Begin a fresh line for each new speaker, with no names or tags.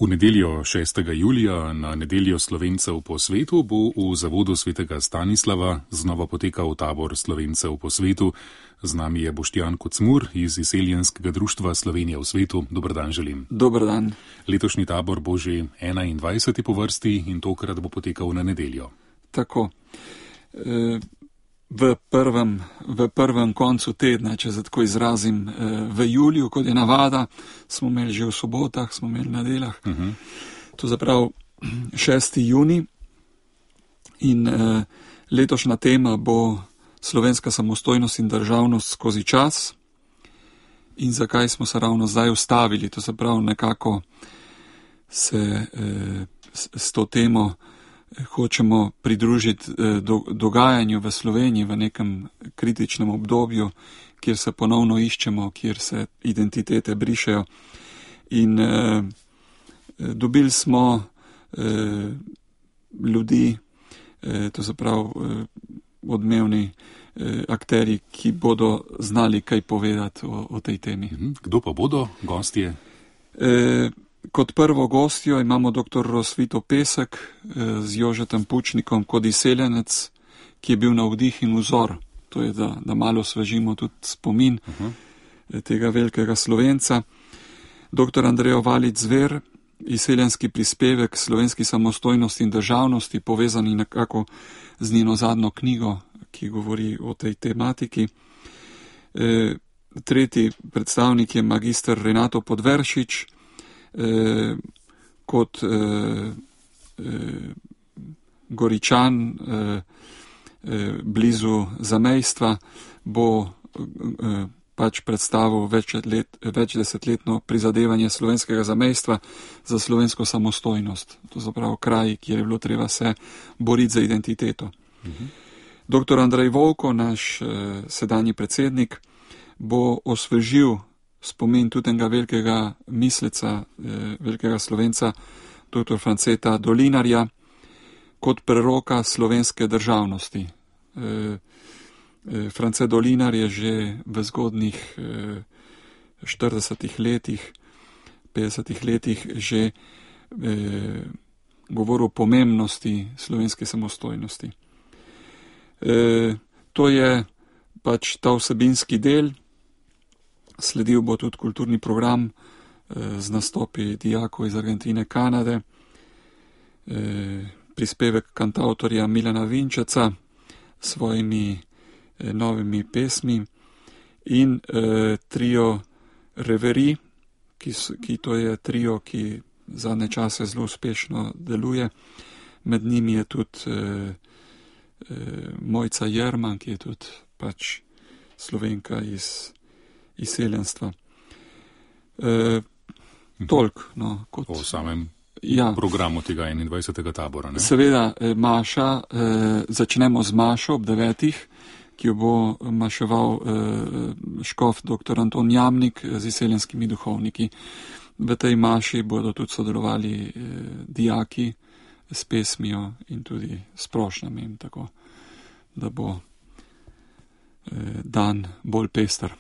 V nedeljo 6. julija, na nedeljo Slovencev po svetu, bo v zavodu svetega Stanislava znova potekal tabor Slovencev po svetu. Z nami je Boštjan Kocmur iz Izseljenskega društva Slovenija v svetu. Dober dan želim.
Dober dan.
Letošnji tabor bo že 21. po vrsti in tokrat bo potekal na nedeljo.
Tako. V prvem koncu tedna, če se tako izrazim, v juliju, kot je navada, smo imeli že v sobotah, smo imeli na nedeljah. To zaprav 6. juni in letošnja tema bo slovenska samostojnost in državnost skozi čas. In zakaj smo se ravno zdaj ustavili, to zaprav nekako se s to temo hočemo pridružiti dogajanju v Sloveniji v nekem kritičnem obdobju, kjer se ponovno iščemo, kjer se identitete brišejo. In dobili smo ljudi, to se pravi odmevni akteri, ki bodo znali kaj povedati o tej temi.
Kdo pa bodo gostje?
Kot prvo gostjo imamo dr. Rosvito Pesek z Jožetom Pučnikom kot izseljenec, ki je bil navdih in vzor. To je, da malo osvežimo tudi spomin tega velikega Slovenca. Dr. Andrejo Valič Zver, izseljenski prispevek slovenski samostojnosti in državnosti, povezani nekako z njeno zadnjo knjigo, ki govori o tej tematiki. Tretji predstavnik je magister Renato Podvršič, kot Goričan blizu zamejstva bo pač predstavil večdesetletno prizadevanje slovenskega zamejstva za slovensko samostojnost. To zapravo kraj, kjer je bilo treba se boriti za identiteto. Dr. Andrej Volko, naš sedanji predsednik, bo osvežil spomin tudi enega velikega misleca, velikega Slovenca, dr. Franceta Dolinarja, kot preroka slovenske državnosti. France Dolinar je že v zgodnih 40 letih, 50 letih že govoril o pomembnosti slovenske samostojnosti. To je pač ta vsebinski del. Sledil bo tudi kulturni program z nastopi dijakov iz Argentine, Kanade, prispevek kantavtorja Milana Vinčeca s svojimi novimi pesmi in trio Reverie, ki to je trio, ki zadnje čase zelo uspešno deluje. Med njimi je tudi Mojca Jerman, ki je tudi pač Slovenka iz izseljenstva. Toliko, no, kot
o samem programu tega 21. tabora. Ne?
Seveda, maša, začnemo z mašo ob 9, ki jo bo maševal škof dr. Anton Jamnik z izseljenskimi duhovniki. V tej maši bodo tudi sodelovali dijaki s pesmijo in tudi s prošnjami, tako da bo dan bolj pester.